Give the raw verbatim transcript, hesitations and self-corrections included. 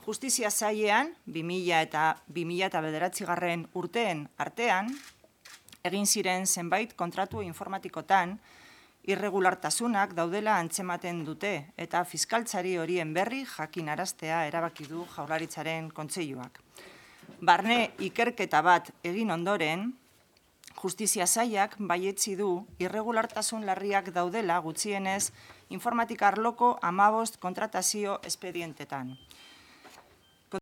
Justizia Sailean, bi mila eta bi mila bederatzigarren urteen artean, egin ziren zenbait kontratu informatikotan, irregulartasunak daudela antzematen dute eta fiskaltzari horien berri jakinaraztea erabaki du Jaurlaritzaren Kontseiluak. Barne ikerketa bat egin ondoren, Justizia Sailak baietzi du irregulartasun larriak daudela gutxienez informatika arloko hamabost kontratazio espedientetan.